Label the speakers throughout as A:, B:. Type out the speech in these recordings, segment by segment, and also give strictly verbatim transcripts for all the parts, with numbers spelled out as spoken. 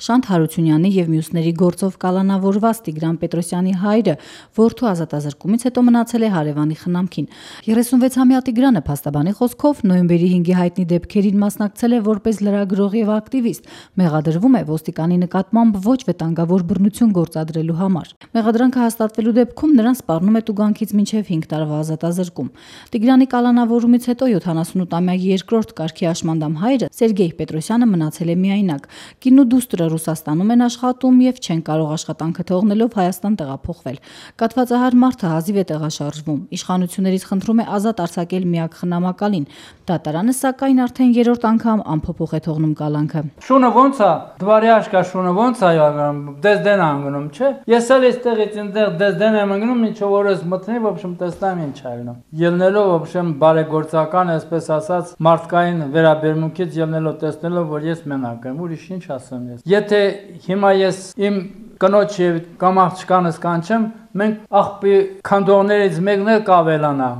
A: Շանթ Հարությունյանի և մյուսների գործով կալանավորված Տիգրան Պետրոսյանի հայրը որդու ազատազրկումից հետո մնացել է հարևանի խնամքին։ երեսունվեցամյա Տիգրանը փաստաբանի խոսքով նոյեմբերի հինգի հայտնի դեպքերին մասնակցել է որպես լրագրող և ակտիվիստ, մեղադրվում է ոստիկանի նկատմամբ ոչ վտանգավոր բռնություն գործադրելու համար։ Մեղադրանքը հաստատվելու դեպքում նրան սպառնում է տուգանքից մինչև հինգ տարվա ազատազրկում։ Տիգրանի կալանավորումից հետո յոթանասունութամյա երկրորդ կարգի աշմանդամ հայրը Սերգեյ Պետրոսյանը մնացել է միայնակ։ Կինն ու դուստրը Ռուսաստանում են աշխատում և չեն կարող աշխատանքը թողնելով Հայաստան տեղափոխվել։ Կաթվածահար մարդը հազիվ է տեղաշարժվում։ Իշխանություններից խնդրում է ազատ արձակել միակ խնամակալին։ Դատարանը սակայն արդեն երրորդ անգամ անփոփոխ է թողնում կալանքը։
B: Շունը ոնց է, դվարյաշկա շունը ոնց է ягам, դեսդեն անգնում, չէ։ Ես էլ այստեղից այնտեղ դեսդեն եմ անգնում, ինչով որ ես մտնի, в общем, տեսնամ ինչ այլն։ Ելնելով, в общем, բարեգործական, այսպես ասած, մարդկային վերաբերմունքից ելնելով տեսնելով, որ ես մենակ եմ, ուրիշ ինչ ասեմ ես։ Եթե հիմա ես իմ կնոջ եւ կամ աղջկանս կանչեմ, մենք աղբի քանդողներից մեկն էլ կավելանա։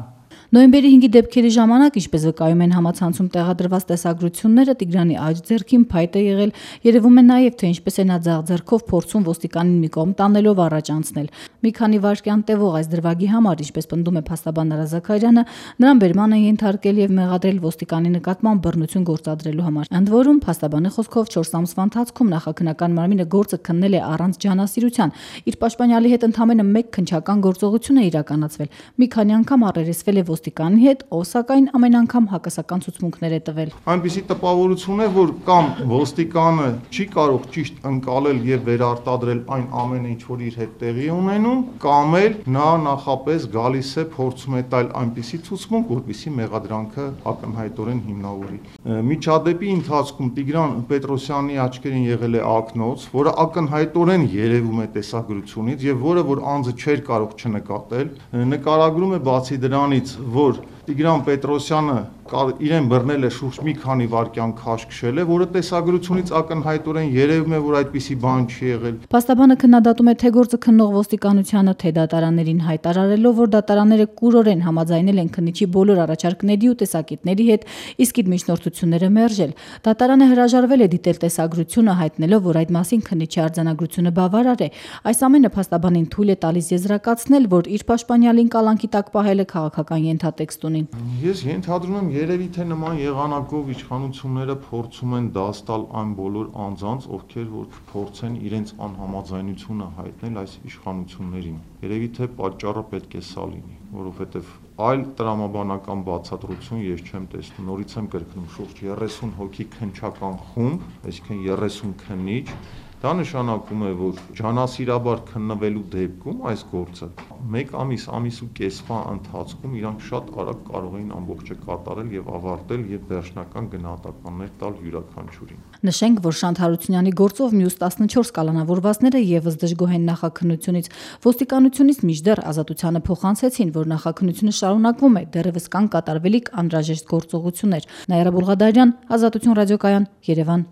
A: Նոյեմբերի հինգի դեպքերի ժամանակ, ինչպես վկայում են համացանցում տեղադրված տեսագրությունները, Տիգրանի աջ ձեռքին փայտ է եղել, երևում է նաև, թե ինչպես է նա ձախ ձեռքով փորձում ոստիկանին մի կողմ տանելով առաջ անցնել։ Մի քանի վայրկյան տևող այս դրվագի համար, ինչպես պնդում է փաստաբան Նրա Զաքարյանը, նրան բերման են ենթարկել եւ մեղադրել ոստիկանի նկատմամբ բռնություն գործադրելու համար։ Ընդ որում, փաստաբանի խոսքով չորս ամսվա ընթացքում նախաքննական մարմինը գործը քննել է առանց ջանասիրության։ Իր պաշտպանյալի հետ ընդամենը մեկ քննչական գործողություն է իրականացվել։ Մի քանի անգամ առերեսվել է ոստիկանի հետ, ով սակայն ամեն անգամ հակասական ցուցմունքներ է տվել։
C: Այնպիսի տպավորություն է, որ կամ ոստիկանը չի կարող ճիշտ ընկալել եւ վերարտադրել այն ամենը, ինչ որ իր հետ տեղի ունենում, կամ էլ նա նախապես գալիս է փորձում է տալ այնպիսի ցուցմունք, որպեսզի մեղադրանքը ակնհայտորեն հիմնավորի։ Միջադեպի ընթացքում Տիգրան Պետրոսյանի աչքերին եղել է ակնոց, որը ակնհայտորեն երևում է տեսագրությունից եւ որը որ անձը չէր կարող չնկատել, նկարագրում է բացի դրանից, որ Տիգրան Պետրոսյանը իրեն բռնել է շուրջ մի քանի վայրկյան քաշքշել է, որը տեսագրությունից ակնհայտորեն երևում է, որ այդպիսի բան չի եղել։
A: Փաստաբանը քննադատում է թե գործը քննող ոստիկանությանը, թե դատարաններին հայտարարելով, որ դատարանները կուրորեն համաձայնել են քննիչի բոլոր առաջարկների ու տեսակետների հետ, իսկ իր միջնորդությունները մերժել։ Դատարանը հրաժարվել է դիտել տեսագրությունը, հայտնելով, որ այդ մասին քննիչի արձանագրությունը բավարար է։ Այս ամենը փաստաբանին թույլ է տալիս եզրակացնել, որ իր պաշտպանյալին կալանքի տակ պահելը քաղաքական ենթատեքստ ունի։
C: Ես ենթադրում եմ, երևի թե նման եղանակով իշխանությունները փորձում են դաս տալ այն բոլոր անձանց, ովքեր որ փորձեն իրենց անհամաձայնությունը հայտնել այս իշխանություններին։ Երևի թե պատճառը պետք է սա լինի, որովհետև այլ տրամաբանական բացատրություն ես չեմ տեսնում։ Նորից եմ կրկնում, շուրջ երեսուն հոգի քննչական խումբ, այսինքն երեսուն քննիչ, դա նշանակում է, որ ջանասիրաբար քննվելու դեպքում այս գործը մեկ ամիս, ամիս ու կեսվա ընթացքում իրանք շատ արագ կարող էին ամբողջը կատարել եւ ավարտել եւ վերջնական գնահատականներ տալ յուրաքանչյուրին։
A: Նշենք, որ Շանթ Հարությունյանի գործով մյուս տասնչորս կալանավորվածները եւս դժգոհ են նախաքննությունից։ Ոստիկանությունից մինչդեռ ազատությանը փոխանցեցին, որ նախաքննությունը շարունակվում է, դեռևս կան կատարվելիք անհրաժեշտ գործողություններ։ Նաիրա Բուլղադարյան, Ազատություն ռադիոկայան, Երևան։